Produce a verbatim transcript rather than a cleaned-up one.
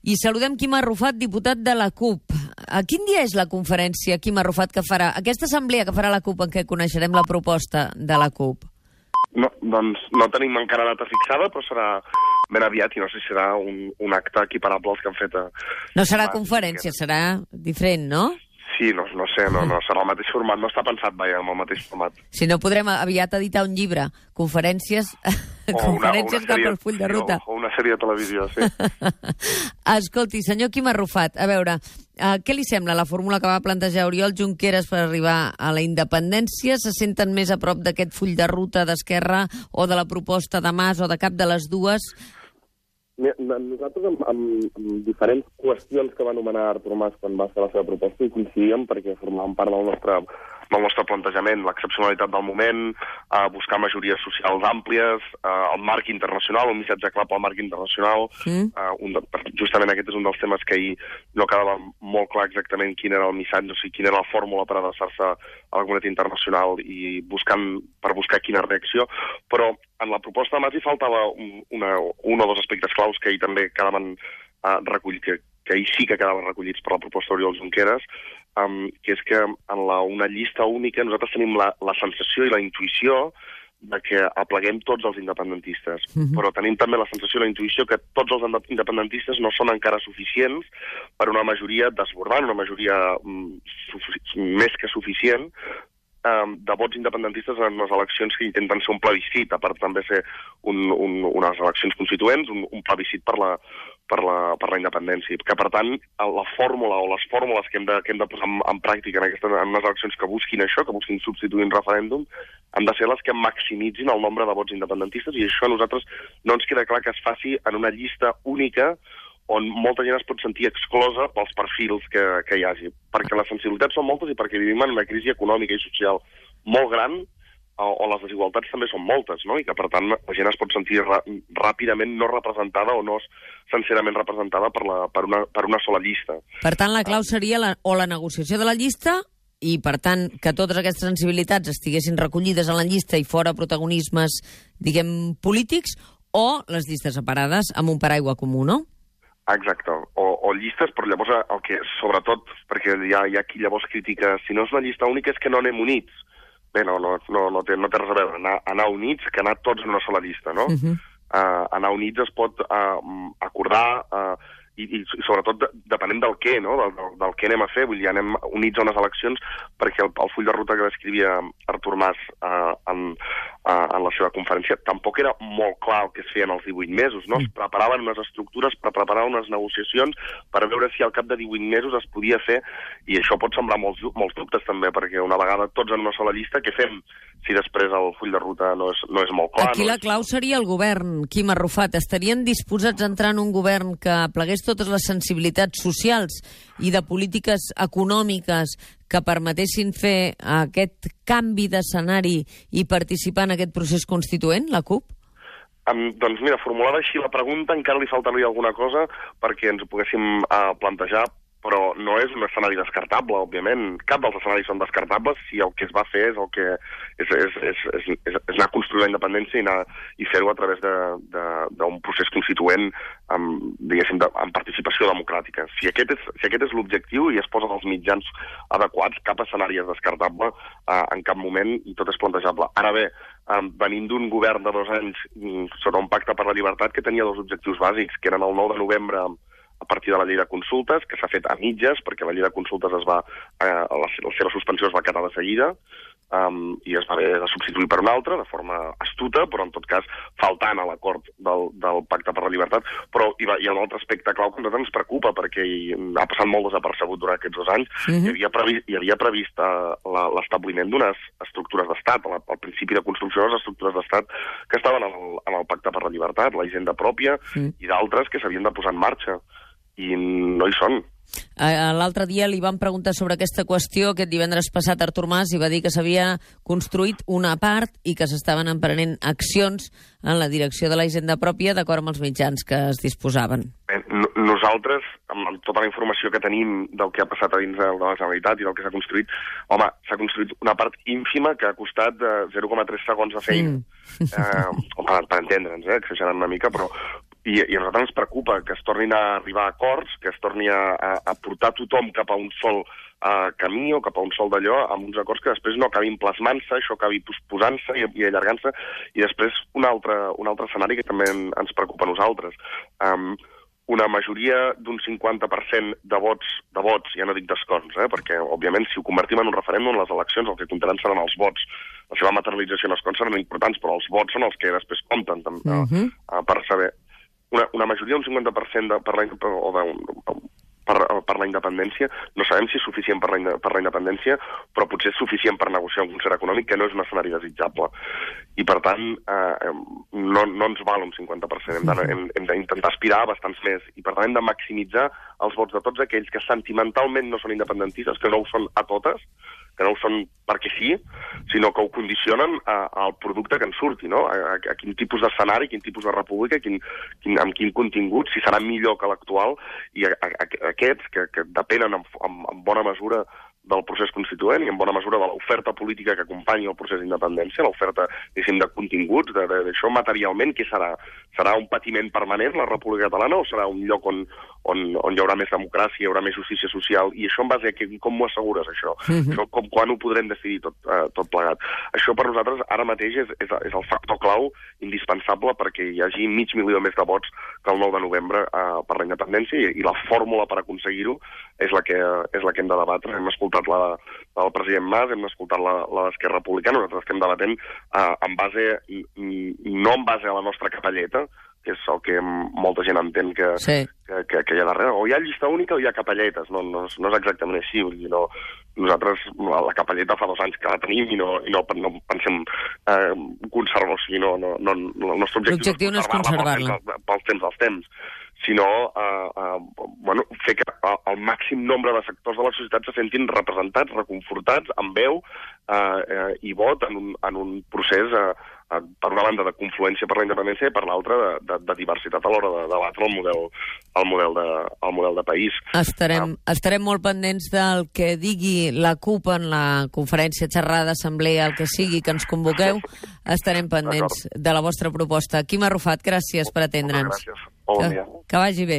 I saludem Quim Arrufat, diputat de la CUP. A quin dia és la conferència, Quim Arrufat, que farà aquesta assemblea que farà la CUP en què coneixerem la proposta de la CUP? No, doncs no tenim encara data fixada, però serà ben aviat i no sé si serà un, un acte equiparable als que han fet... A... No serà conferència, serà diferent, no? Sí, no, no sé, no, no serà el mateix format, no està pensat, vaja, amb el mateix format. Si no, podrem aviat editar un llibre, conferències, o conferències una, una cap al full de ruta. O, o una sèrie de televisió, sí. Escolti, senyor Quim Arrufat, a veure, uh, què li sembla la fórmula que va plantejar Oriol Junqueras per arribar a la independència? Se senten més a prop d'aquest full de ruta d'Esquerra o de la proposta de Mas o de cap de les dues? Nosaltres, amb, amb, amb diferents qüestions que va anomenar Artur Mas quan va fer la seva proposta, hi coincidíem perquè formaven part del nostre, del nostre plantejament, l'excepcionalitat del moment, eh, buscar majories socials àmplies, eh, el marc internacional, un missatge clar pel marc internacional. Mm. Eh, un de, justament aquest és un dels temes que ahir no quedava molt clar exactament quin era el missatge, o sigui, quina era la fórmula per adreçar-se a la comunitat internacional i buscant, per buscar quina reacció, però en la proposta de Mas hi faltava un, una, un o dos aspectes claus que ahir també quedaven uh, recollits, que, que ahir sí que quedaven recollits per la proposta d'Oriol Junqueras, um, que és que en la, una llista única nosaltres tenim la, la sensació i la intuïció de que apleguem tots els independentistes, mm-hmm. però tenim també la sensació i la intuïció que tots els independentistes no són encara suficients per una majoria desbordant, una majoria um, més que suficient, de vots independentistes en les eleccions que intenten ser un plebiscit, a part també ser un, un, unes eleccions constituents, un, un plebiscit per la, per, la, per la independència. Que, per tant, la fórmula o les fórmules que hem de, que hem de posar en, en pràctica en, aquestes, en unes eleccions que busquin això, que busquin substituir un referèndum, han de ser les que maximitzin el nombre de vots independentistes, i això a nosaltres no ens queda clar que es faci en una llista única on molta gent es pot sentir exclosa pels perfils que, que hi hagi. Perquè les sensibilitats són moltes i perquè vivim en una crisi econòmica i social molt gran, on les desigualtats també són moltes, no? I que, per tant, la gent es pot sentir ràpidament no representada o no sincerament representada per, la, per, una, per una sola llista. Per tant, la clau seria la, o la negociació de la llista i, per tant, que totes aquestes sensibilitats estiguessin recollides en la llista i fora protagonismes, diguem, polítics, o les llistes separades amb un paraigua comú, no? Exacte, o, o llistes, però llavors el que, sobretot, perquè hi ha, hi ha qui llavors critica, si no és una llista única és que no anem units. Bé, no, no, no, no, té, no té res a veure, anar, anar units que anar tots en una sola llista, no? Uh-huh. uh, anar units es pot uh, acordar, uh, i, i sobretot de, depenent del què, no? Del, del, del què anem a fer, vull dir, anem units a unes eleccions perquè el, el full de ruta que descrivia Artur Mas uh, en, uh, en la seva conferència tampoc era molt clar el que es feia en els divuit mesos, no? Es preparaven unes estructures per preparar unes negociacions per veure si al cap de divuit mesos es podia fer, i això pot semblar molts, molts dubtes també, perquè una vegada tots en una sola llista, què fem si després el full de ruta no és, no és molt clar? Aquí no la clau seria el govern, Quim Arrufat. Estarien disposats a entrar en un govern que plegués totes les sensibilitats socials i de polítiques econòmiques que permetessin fer aquest canvi d'escenari i participar en aquest procés constituent, la CUP? Um, doncs mira, formulada així la pregunta encara li faltaria alguna cosa perquè ens ho poguéssim uh, plantejar, però no és un escenari descartable, òbviament. Cap dels escenaris són descartables si el que es va fer és el que és, és, és, és, és, és anar a construir la independència i, anar, i fer-ho a través d'un procés constituent amb, diguéssim, de, amb participació democràtica. Si aquest és, si aquest és l'objectiu i es posen els mitjans adequats, cap escenari és descartable eh, en cap moment i tot és plantejable. Ara bé, eh, venint d'un govern de dos anys sota un pacte per la llibertat que tenia dos objectius bàsics, que eren el nou de novembre a partir de la llei de consultes, que s'ha fet a mitges, perquè la llei de consultes es va, eh, la, la seva suspensió es va quedar de seguida, um, i es va haver de substituir per una altra, de forma astuta, però en tot cas faltant a l'acord del, del Pacte per la Llibertat. Però hi, va, hi ha un altre aspecte clau que a nosaltres ens preocupa, perquè hi, ha passat molt desapercebut durant aquests dos anys. Mm-hmm. Hi havia previst, hi havia previst uh, l'establiment d'unes estructures d'estat, el, el principi de construcció de les estructures d'estat que estaven en el, en el Pacte per la Llibertat, la hisenda pròpia, mm. i d'altres que s'havien de posar en marxa. I no hi són. L'altre dia li van preguntar sobre aquesta qüestió, aquest divendres passat Artur Mas, i va dir que s'havia construït una part i que s'estaven emprenent accions en la direcció de la hisenda pròpia d'acord amb els mitjans que es disposaven. Bé, nosaltres, amb tota la informació que tenim del que ha passat a dins de la Generalitat i del que s'ha construït, home, s'ha construït una part ínfima que ha costat zero coma tres segons de feina. Mm. Eh, home, per entendre'ns, eh, exagerant una mica, però I, i a nosaltres ens preocupa que es tornin a arribar a acords, que es torni a, a, a portar tothom cap a un sol uh, camí o cap a un sol d'allò, amb uns acords que després no acabin plasmant-se, això acabi posposant-se i, i allargant-se. I després un altre, un altre escenari que també en, ens preocupa a nosaltres. Um, una majoria d'un cinquanta per cent de vots, de vots, ja no dic d'escons, eh, perquè, òbviament, si ho convertim en un referèndum, les eleccions el que comptaran seran els vots. La seva materialització en escons seran importants, però els vots són els que després compten també, uh-huh. uh, per saber. Una, una majoria d'un cinquanta per cent de, per, la, o de, per, per la independència, no sabem si és suficient per la, per la independència, però potser és suficient per negociar un concert econòmic, que no és un escenari desitjable. I, per tant, eh, no, no ens val un cinquanta per cent. Hem, de, hem, hem d'intentar aspirar a bastants més. I, per tant, hem de maximitzar els vots de tots aquells que sentimentalment no són independentistes, que no ho són a totes, que no ho són perquè sí, sinó que ho condicionen a, al producte que en surti, no? A, a, a quin tipus d'escenari, quin tipus de república, quin, quin, amb quin contingut, si serà millor que l'actual, i a, a, a aquests que, que depenen en, en, en bona mesura del procés constituent i en bona mesura de l'oferta política que acompanyi el procés d'independència, l'oferta, diguéssim, de continguts, d'això materialment, què serà? Serà un patiment permanent, la República Catalana, o serà un lloc on, on, on hi haurà més democràcia, hi haurà més justícia social? I això en base a que, com m'ho assegures, això? Mm-hmm. Això com, quan ho podrem decidir tot, eh, tot plegat? Això per nosaltres ara mateix és, és, és el factor clau indispensable perquè hi hagi mig milió més de vots que el nou de novembre eh, per la independència, i, i la fórmula per aconseguir-ho és la que, és la que hem de debatre. Hem escoltat la, la del president Mas, hem escoltat la, la d'Esquerra Republicana, nosaltres estem debatent eh, en base, no en base a la nostra capelleta, que és el que molta gent entén que, sí. que, que, que hi ha darrere. O hi ha llista única o hi ha capelletes, no, no, no és exactament així. Vull dir, no, nosaltres la capelleta fa dos anys que la tenim i no, i no, no pensem eh, conservar-la, o sigui, no, no, no, el nostre objectiu, objectiu no és conservar-la pels, pels temps dels temps, sinó eh, eh, bueno, fer que el màxim nombre de sectors de la societat se sentin representats, reconfortats, amb veu eh, eh, i vot en un, en un procés, eh, eh, per una banda, de confluència per la independència i per l'altra de, de, de diversitat a l'hora de debatre el model, el model, de, el model de país. Estarem, ah. estarem molt pendents del que digui la CUP en la conferència, xerrada, assemblea, el que sigui que ens convoqueu. Estarem pendents de la vostra proposta. Quim Arrufat, gràcies per atendre'ns. Moltes gràcies. Bon dia. Que, que vagi bé.